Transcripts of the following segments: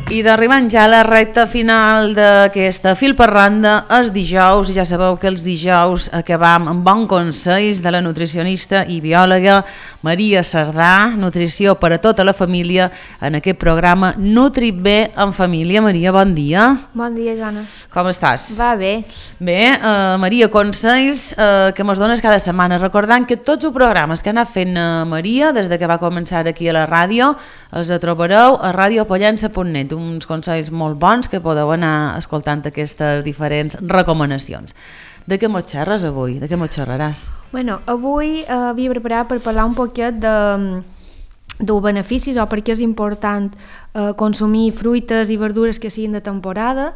I d'arribant ja a la recta final d'aquesta Fil per Randa, els dijous, ja sabeu que els dijous acabam amb bons consells de la nutricionista i biòloga Maria Sardà, nutrició per a tota la família, en aquest programa Nutri Bé en Família. Maria, bon dia. Bon dia, Joana. Com estàs? Va bé. Bé, Maria, consells que mos dones cada setmana, recordant que tots els programes que ha anat fent Maria des de que va començar aquí a la ràdio els trobareu a radiopollença.net, uns consells molt bons que podeu anar escoltant aquestes diferents recomanacions. De què mos xerres avui? De què mos xerraràs? Bueno, avui havia preparat per parlar un poquet dels beneficis o per què és important consumir fruites i verdures que siguin de temporada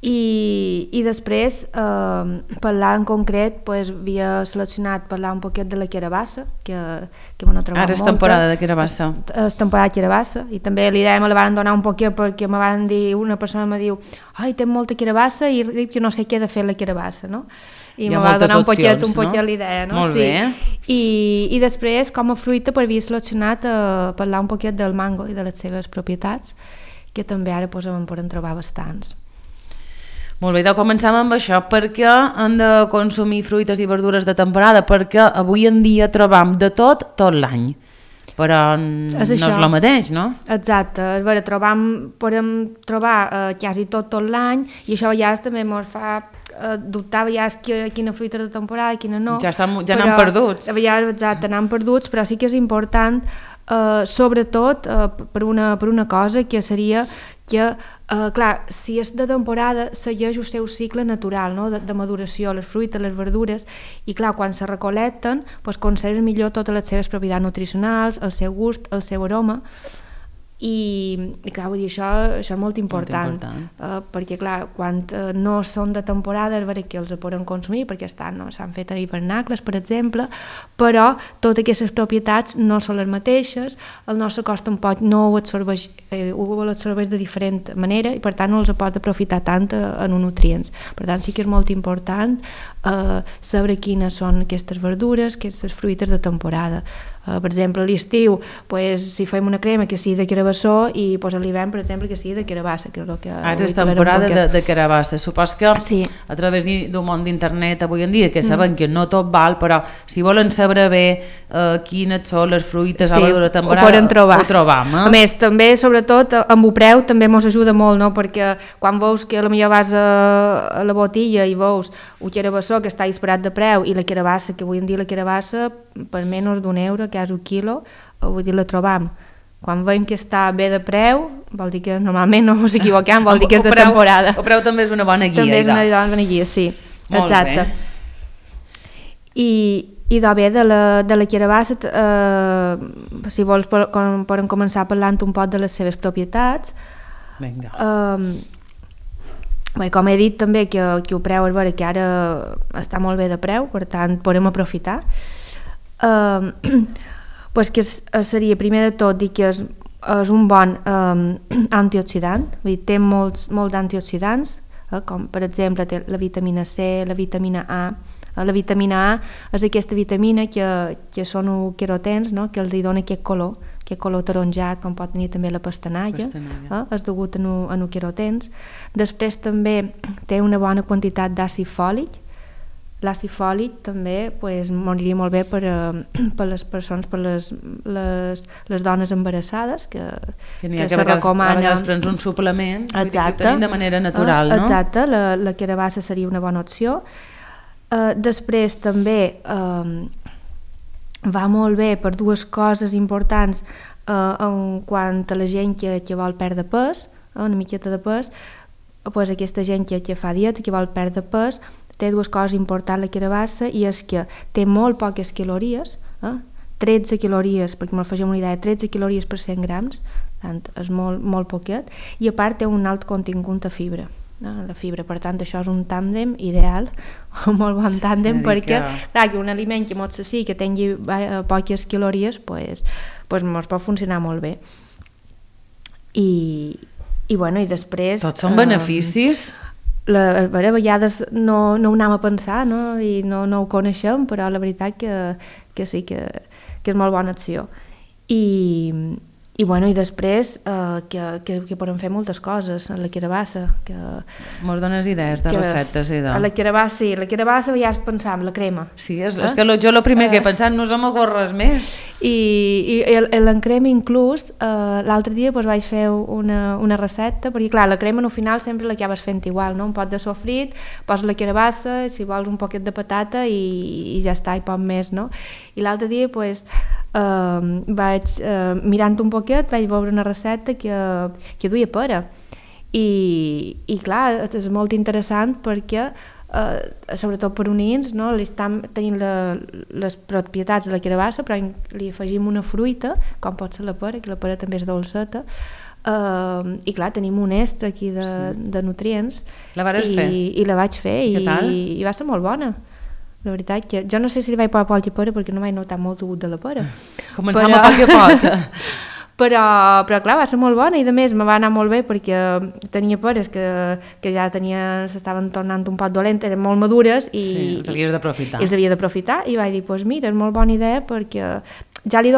i després parlar en concret, havia seleccionat parlar un poquet de la carabassa que m'ho trobat ara és molta. Temporada de carabassa. És temporada de carabassa i també l'idea me la van donar un poquet perquè me van dir, una persona me diu ai, té molta carabassa i jo no sé què he de fer la carabassa, no? I me va donar un poquet l'idea, no? Molt bé. I després, com a fruita, havia seleccionat parlar un poquet del mango i de les seves propietats, que també ara en podem trobar bastants. Molt bé, començam amb això. Per què hem de consumir fruites i verdures de temporada? Perquè avui en dia trobam de tot l'any. Però no és el mateix, no? Exacte. A veure, podem trobar quasi tot l'any i això ja també ens fa dubtar quina fruita és de temporada i quina no. Ja n'han perduts. Exacte, n'han perduts, però sí que és important sobretot per una cosa que seria que, clar, si és de temporada segueix el seu cicle natural, no? de maduració, les fruites, les verdures, i clar, quan se recolecten conserven millor totes les seves propietats nutricionals, el seu gust, el seu aroma, i clar, vull dir, això és molt important. Perquè clar, quan no són de temporada és veritat que els podem consumir perquè s'han fet hivernacles, per exemple, però totes aquestes propietats no són les mateixes, el nostre cos tampoc no ho absorbeix de diferent manera i per tant no els pot aprofitar tant en uns nutrients. Per tant sí que és molt important saber quines són aquestes verdures, aquestes fruites de temporada. Per exemple, a l'estiu, si fem una crema que sigui de carabassó i a l'hivern, per exemple, que sigui de carabassa. Ara és temporada de carabassa. Supos que a través d'un món d'internet avui en dia, que sabem que no tot val, però si volen saber bé quines són les fruites a la temporada, ho trobam. A més, també, sobretot, amb el preu també ens ajuda molt, no? Perquè quan veus que potser vas a la botilla i veus un carabassó que està disparat de preu i la carabassa, que avui en dia la carabassa per menys d'€1, que és un quilo, vull dir, la trobam. Quan veiem que està bé de preu, vol dir que normalment no ens equivoquem, vol dir que és de temporada. El preu també és una bona guia. També és una bona guia, sí. Exacte. I bé, de la carabassa, si vols, podem començar parlant un poc de les seves propietats. Vinga. Bé, com he dit també que el preu és vera que ara està molt bé de preu, per tant podem aprofitar. Que seria primer de tot dir que és un bon antioxidant, vull dir, té molts antioxidants, com per exemple té la vitamina C, la vitamina A. La vitamina A és aquesta vitamina que són els querotens, no? Que els dona aquest color taronjat, com pot tenir també la pastanaga. És degut a els querotens. Després també té una bona quantitat d'àcid fòlic. L'àcid fòlic també m'aniria molt bé per les persones, per les dones embarassades, que se recomana. A vegades prens un suplement que tenim de manera natural, no? Exacte, la carabassa seria una bona opció. Després també va molt bé per dues coses importants en quant a la gent que vol perdre pes, una miqueta de pes, aquesta gent que fa dieta, que vol perdre pes, té dues coses importants la carabassa i és que té molt poques calories, 13 calories, perquè me'n facem una idea, 13 calories per 100 grams, tant és molt poquet, i a part té un alt contingut de fibra. La fibra, per tant això és un tàndem ideal, un molt bon tàndem, perquè clar, que un aliment que molt sí, que tingui poques calories ens pot funcionar molt bé. I després tots són beneficis. A vegades no ho anem a pensar, no? I no ho coneixem, però la veritat que sí que és molt bona opció. I després que podem fer moltes coses a la carabassa. Mos dones idees de receptes i de... A la carabassa ja pensam, la crema. Sí, és que jo el primer que he pensat no se m'ocorre res més. I l'encrema inclús, l'altre dia vaig fer una recepta, perquè clar, la crema al final sempre l'acabes fent igual, no? Un pot de sofrit, poses la carabassa, si vols un poquet de patata i ja està, i poc més, no? I l'altre dia vaig mirant un poquet, vaig veure una recepta que duia pera i clar, és molt interessant perquè sobretot per unins, no? Li estan tenint les propietats de la carabassa, però li afegim una fruita com pot ser la pera, que la pera també és dolceta, i clar, tenim un extra aquí de nutrients. La vares fer? I la vaig fer i va ser molt bona. La veritat que jo no sé si li vaig posar poc de pera perquè no vaig notar molt el gust de la pera. Començam a poc a poc. Però clar, va ser molt bona i a més me va anar molt bé perquè tenia peres que ja s'estaven tornant un poc dolentes, eren molt madures i els havies d'aprofitar. I els havia d'aprofitar i vaig dir, doncs mira, és molt bona idea perquè ja li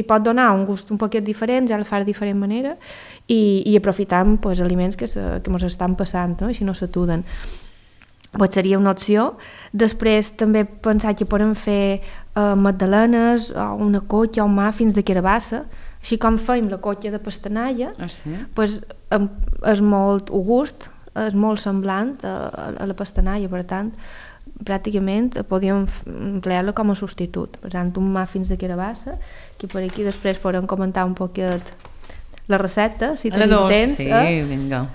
pot donar un gust un poquet diferent, ja la fa de diferent manera i aprofitant aliments que ens estan passant, no? Així no s'atuden. Seria una opció. Després també pensar que podem fer magdalenes o una cotxa o muffins de carabassa, així com fèiem la cotxa de pastanaia, és molt gust, és molt semblant a la pastanaia, per tant pràcticament podíem emplear-la com a substitut. Per tant, un muffins de carabassa, que per aquí després podem comentar un poquet la recepta, si tenim temps. Sí, vinga.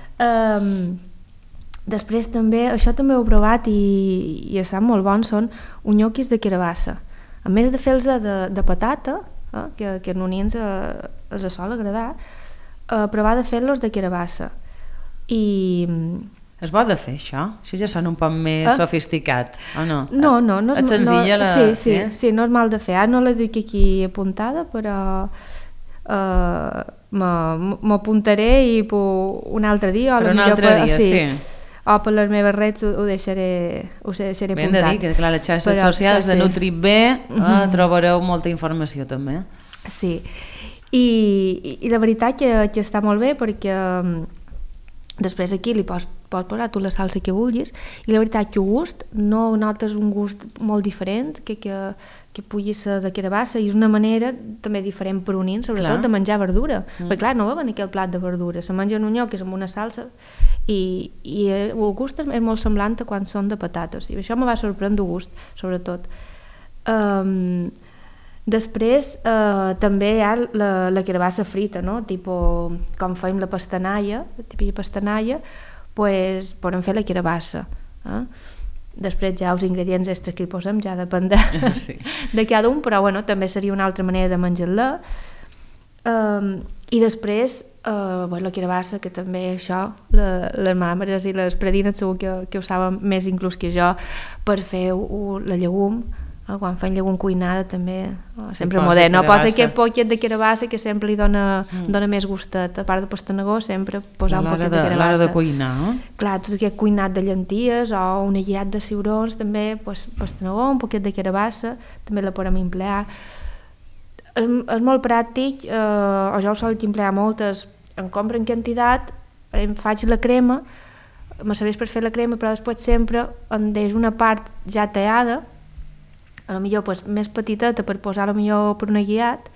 Després també, això també ho he provat i estan molt bons, són unyoquis de carabassa. A més de fer-los de patata, que a nonins els sol agradar, provar de fer-los de carabassa. És bo de fer això? Això ja sona un poc més sofisticat, o no? No. És senzilla la... Sí, no és mal de fer. Ara no la dic aquí apuntada, però m'apuntaré i un altre dia, per un altre dia, sí. O per les meves redes ho deixaré apuntat. Ben de dir que clar, les xarxes socials de NutriB trobareu molta informació també. Sí, i la veritat que està molt bé perquè després aquí li pots posar tu la salsa que vulguis i la veritat que el gust no notes un gust molt diferent que pugui ser de carabassa i és una manera també diferent per unir, sobretot de menjar verdura, perquè clar, no veuen aquell plat de verdura, se mengen unyoquis amb una salsa i el gust és molt semblant a quan són de patates i això me va sorprendre el gust, sobretot. Després també hi ha la carabassa frita, no? Tipo, com fèiem la pastanaia, podem fer la carabassa. Després ja els ingredients extras que hi posem ja depèn de cada un, però bueno, també seria una altra manera de menjar-la. I després la carabassa, que també això, les mames i les predines segur que ho saben més inclús que jo, per fer la llegum, quan fan llegum cuinada també sempre modern, posa aquest poquet de carabassa que sempre li dona més gustet, a part de pastanagó sempre posar un poquet de carabassa. L'hora de cuinar, no? Clar, tot aquest cuinat de llenties o un aguillat de ciurons també, pastanagó, un poquet de carabassa també la podem emplear. És molt pràctic, o jo ho sol emplear moltes, em compro en quantitat, em faig la crema, me serveix per fer la crema, però després sempre em deix una part ja tallada, a lo millor més petiteta per posar a lo millor per un aguillat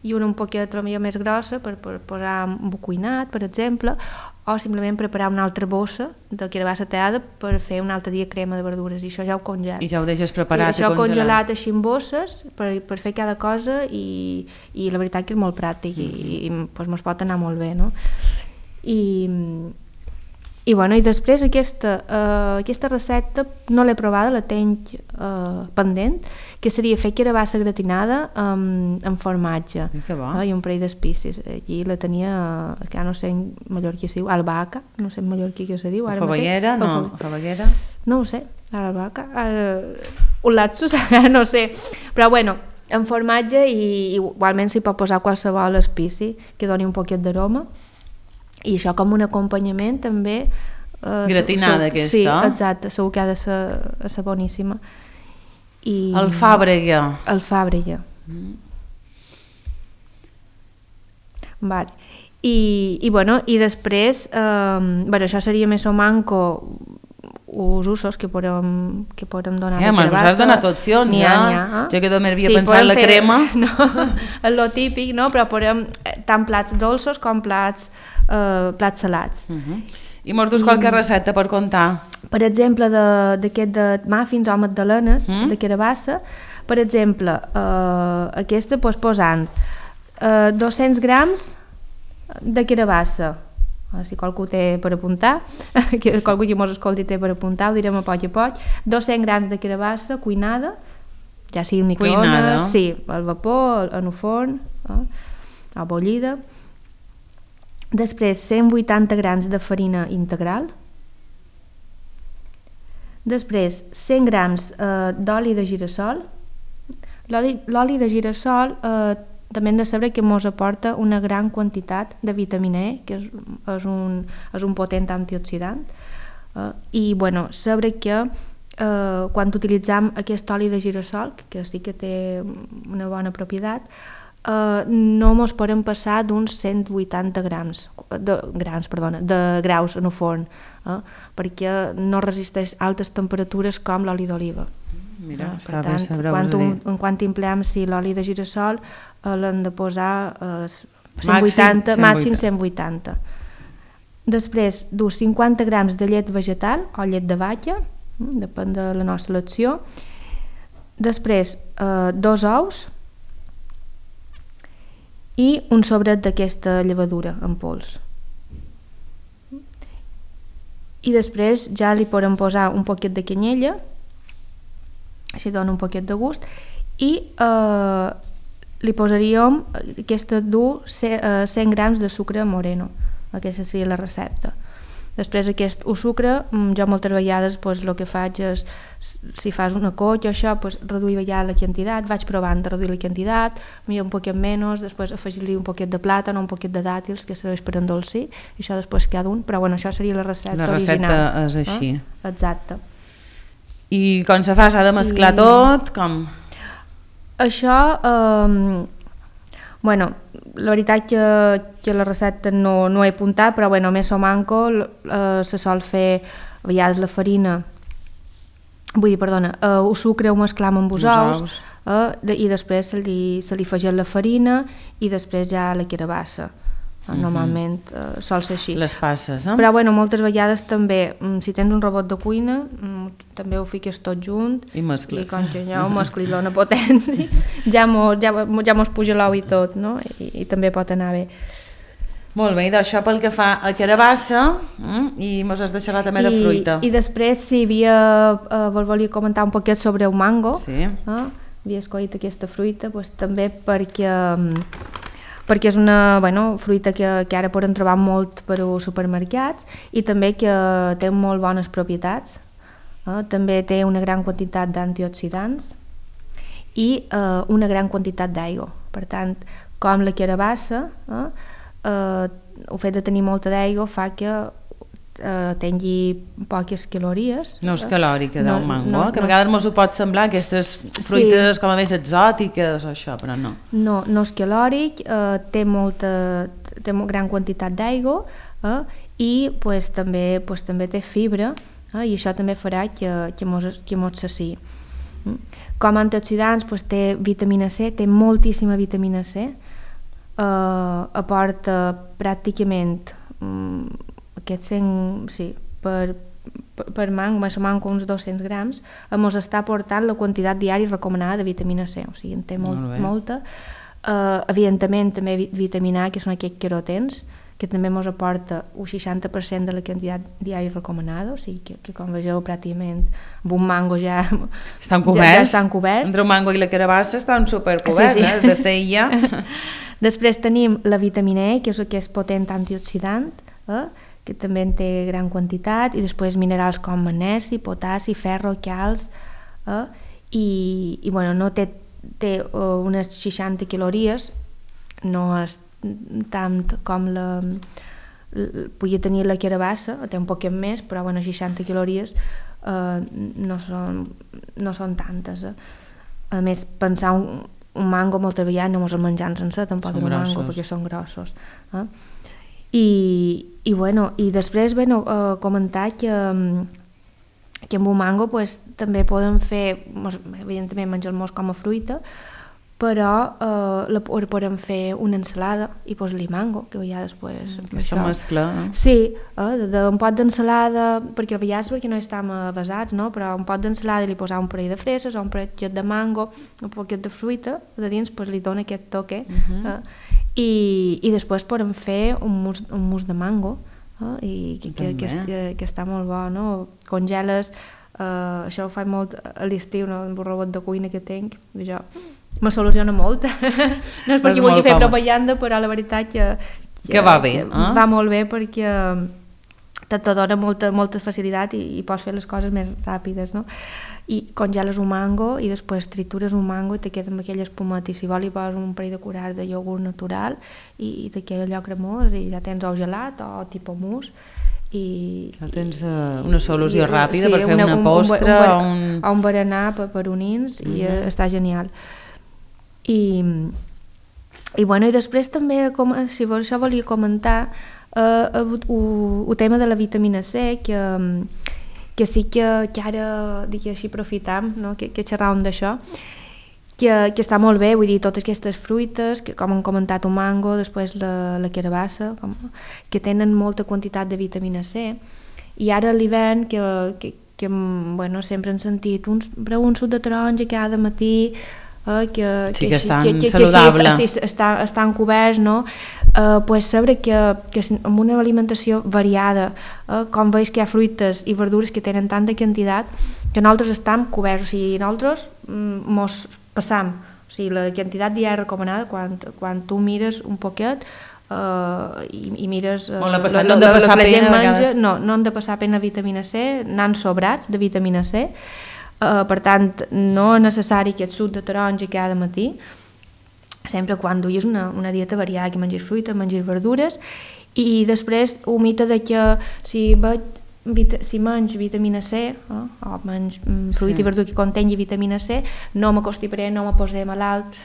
i una un poquet a lo millor més grossa per posar un cuinat, per exemple, o simplement preparar una altra bossa de carabassa tallada per fer un altre dia crema de verdures i això ja ho congelo. I ja ho deixes preparat i això congelat així en bosses per fer cada cosa i la veritat que és molt pràctic i mos pot anar molt bé, no? I després aquesta recepta no l'he provada, la tenc pendent, que seria fer carabassa gratinada amb formatge i un parell d'espicis. Allí la tenia, que no sé en mallorquí es diu, albahaca, no sé en mallorquí què se diu. Favallera, no? Favallera? No ho sé, albahaca, un lapsus, no sé, però bueno, en formatge i igualment s'hi pot posar qualsevol espici que doni un poquet d'aroma. I això com un acompanyament també gratinada aquesta. Sí, exacte, segur que ha de ser boníssima. Alfàbrega. Alfàbrega. Vale. I després, això seria més o manco els usos que podem donar de carabassa. Has donat opcions, Jo que també havia pensat la crema. No, és lo típic, no? Però podem tant plats dolços com plats salats. I mos dus qualque recepta per contar? Per exemple, d'aquest de muffins o magdalenes de carabassa, per exemple, aquesta posant 200 grams de carabassa, si qualcú té per apuntar, que qualcú que mos escolti té per apuntar, ho direm a poc, 200 grams de carabassa cuinada, ja sigui al microones, sí, al vapor, en un forn, o bullida. Després 180 grams de farina integral. Després 100 grams d'oli de girassol. L'oli de girassol també hem de saber que ens aporta una gran quantitat de vitamina E, que és un potent antioxidant. I saber que quan utilitzem aquest oli de girassol, que sí que té una bona propietat, no ens podem passar d'uns 180 de graus en un forn, perquè no resisteix altes temperatures com l'oli d'oliva. Mira, per tant, quan empleem l'oli de girassol l'hem de posar 180, màxim 180. Després dus 50 grams de llet vegetal o llet de vaca, depèn de la nostra elecció. Després 2 ous i un sobret d'aquesta llevadura en pols. I després ja li podem posar un poquet de canyella, així dona un poquet de gust, i li posaríem, aquesta du 100 grams de sucre moreno, aquesta seria la recepta. Després aquest sucre, jo moltes vegades el que faig és, si fas una cotxa, això, reduir la quantitat, vaig provant de reduir la quantitat, un poquet menys, després afegir-li un poquet de plàtan o un poquet de dàtils, que serveix per endolcir, i això després queda un, però això seria la recepta original. La recepta és així. Exacte. I com se fa? S'ha de mesclar tot? Com? Això, la veritat que la recepta no he apuntat, però més o manco se sol fer a vegades la farina, el sucre ho mesclam amb els ous, i després se li afegeix la farina i després ja la carabassa. Normalment sol ser així. Les passes, Però moltes vegades també, si tens un robot de cuina, també ho fiques tot junt i mescles. I com que ja ho mesclis l'ona potència, ja mos puja l'ou i tot, no? I també pot anar bé. Molt bé, i d'això pel que fa a carabassa, i mos has deixat també de fruita. I després, si volia comentar un poquet sobre el mango, havia escollit aquesta fruita, també perquè és una fruita que ara podem trobar molt per als supermercats i també que té molt bones propietats. També té una gran quantitat d'antioxidants i una gran quantitat d'aigua. Per tant, com la carabassa, el fet de tenir molta d'aigua fa que tingui poques calories. No és calòrica del mango, que a vegades ens ho pot semblar, aquestes fruites com a més exòtiques o això, però no. No és calòric, té gran quantitat d'aigua i també té fibra, i això també farà que mos saciï. Com a antioxidants té vitamina C, té moltíssima vitamina C, aporta pràcticament aquests 100, per mango, més o menys uns 200 grams, ens està aportant la quantitat diària recomanada de vitamina C, o sigui, en té molta. Evidentment, també vitamina A, que són aquests querotens, que també ens aporta un 60% de la quantitat diària recomanada, o sigui, que com vegeu, pràcticament, amb un mango ja estan coberts. Entre un mango i la carabassa estan supercoberts, de ser ja. Després tenim la vitamina E, que és aquest potent antioxidant, que també en té gran quantitat, i després minerals com magnesi, potassi, ferro, calç, i no té unes 60 calories, no és tant com podia tenir la carabassa, té un poquet més, però 60 calories no són tantes. A més, pensar un mango moltes vegades no ens el menjam sencer, tampoc un mango, perquè són grossos. I després comentar que amb un mango també podem fer, evidentment menjar-los com a fruita, però podem fer una ensalada i posar-li mango, que ja després... Aquesta mescla. Sí, un pot d'ensalada, perquè a vegades no estem avasats, no? Però un pot d'ensalada li posar un parell de freses o un parell de mango, un poquet de fruita, de dins li dona aquest toque. I després podem fer un mousse de mango, i que està molt bo, no? Congeles, això ho faig molt a l'estiu, no? Amb el robot de cuina que tinc, això me soluciona molt. No és perquè vulgui fer propaganda, però la veritat que va bé. Va molt bé perquè te dona molta facilitat i pots fer les coses més ràpides, no? I congeles un mango i després tritures un mango i te queda amb aquella espumeta, i si vol hi poses un parell de curats de iogurt natural i te queda allò cremós i ja tens o gelat o tipus mousse. Ja tens una solució ràpida per fer una postre o un berenar per unins i està genial. I després també, si això volia comentar el tema de la vitamina C, que sí que ara així aprofitam, no? que xerràvem d'això, que està molt bé, vull dir, totes aquestes fruites, que com hem comentat un mango, després la carabassa, que tenen molta quantitat de vitamina C, i ara a l'hivern que sempre hem sentit un suc de taronja cada matí, que estan saludables, estan coberts, no? Saber que amb una alimentació variada, com veus que hi ha fruites i verdures que tenen tanta quantitat, que nosaltres estem coberts, o sigui, nosaltres mos passam, o sigui, la quantitat diària recomanada, quan tu mires un poquet i mires no han de passar pena vitamina C, n'han sobrats de vitamina C. Per tant, no és necessari aquest suc de taronja cada matí, sempre quan duis una dieta variada, que mengis fruita, mengis verdures, i després un mite de que si menys vitamina C o menys fruita i verdura que contengui vitamina C, no m'acostaré, no me posaré malalt.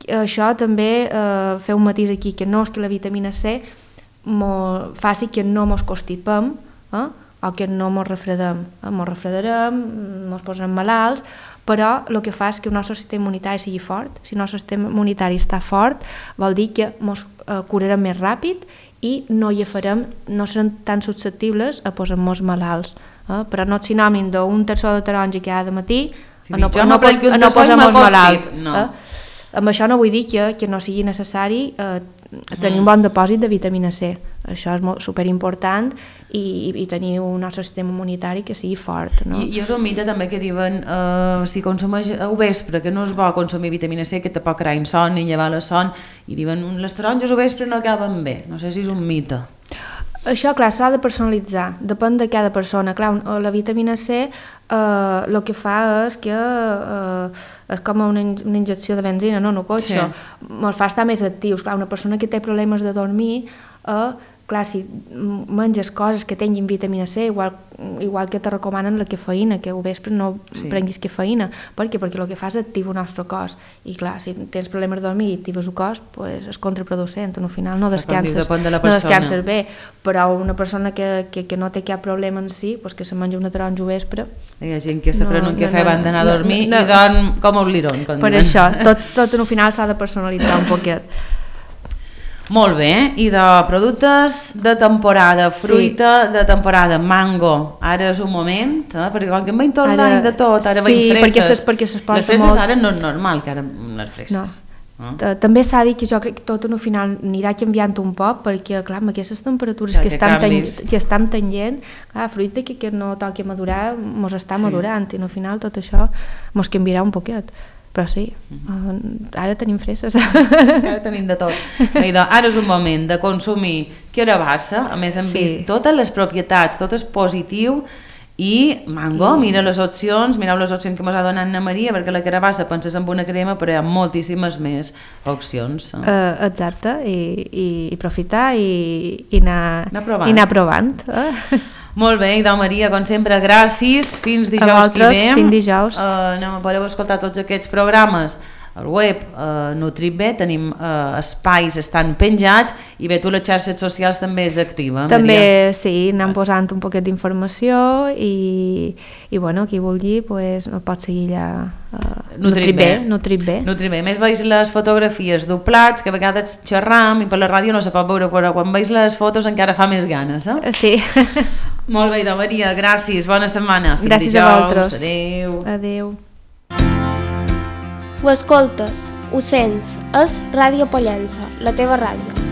Això també fer un matís aquí, que no és que la vitamina C faci que no mos constipem, o que no mos refredarem, mos posarem malalts, però el que fa és que el nostre sistema immunitari sigui fort. Si el nostre sistema immunitari està fort, vol dir que mos curarem més ràpid i no serem tan susceptibles a posar-nos malalts. Però no és sinònim d'un terçó de taronja cada matí a no posar-nos malalt. Amb això no vull dir que no sigui necessari tenir un bon depòsit de vitamina C. Això és superimportant, i tenir un nostre sistema immunitari que sigui fort, no? I és un mite també que diuen si consumeix al vespre, que no és bo consumir vitamina C, que te pot crear insomni, llevar la son, i diuen les taronges al vespre no acaben bé. No sé si és un mite. Això, clar, s'ha de personalitzar, depèn de cada persona. Clar, la vitamina C el que fa és que és com una injecció de benzina, no coixa, ens fa estar més actius. Clar, una persona que té problemes de dormir, clar, si menges coses que tinguin vitamina C, igual que te recomanen la cafeïna, que al vespre no prenguis cafeïna. Per què? Perquè el que fa és activar el nostre cos. I clar, si tens problemes de dormir i actives el cos, és contraproducent. Al final no descanses bé. Però una persona que no té cap problema en si, que se menja una taronja al vespre... Hi ha gent que se pren un cafè abans d'anar a dormir i dorm com un lirón. Per això, tots al final s'ha de personalitzar un poquet. Molt bé, i de productes de temporada, fruita de temporada, mango, ara és un moment, perquè com que em veiem tot l'any de tot, ara veiem freses, les freses ara no és normal que ara les freses. També s'ha dit que jo crec que tot al final anirà canviant un poc, perquè clar, amb aquestes temperatures que estan tenint, la fruita que no toqui madurar mos està madurant, i al final tot això mos canviarà un poquet. Però sí, ara tenim freses. Ara tenim de tot. Ara és un moment de consumir carabassa, a més hem vist totes les propietats, tot és positiu, i mango, mireu les opcions que ens ha donat Anna Maria, perquè la carabassa penses en una crema, però hi ha moltíssimes més opcions. Exacte, i aprofitar i anar provant. Molt bé, Idò Maria, com sempre, gràcies. Fins dijous que ve. Fins dijous. Podeu escoltar tots aquests programes al web NutriB, tenim espais, estan penjats, i bé, tu les xarxes socials també és activa, també, Maria? sí, anem posant un poquet d'informació i bueno, qui vulgui pues, pot seguir allà NutriB. A més, veus les fotografies doblats, que a vegades xerram i per la ràdio no se pot veure, però quan veus les fotos encara fa més ganes, eh? Sí. Molt bé, Maria, gràcies, bona setmana. Fins gràcies dijous. A vosaltres. Adéu. Adéu. Ho escoltes, ho sents, és Ràdio Pollença, la teva ràdio.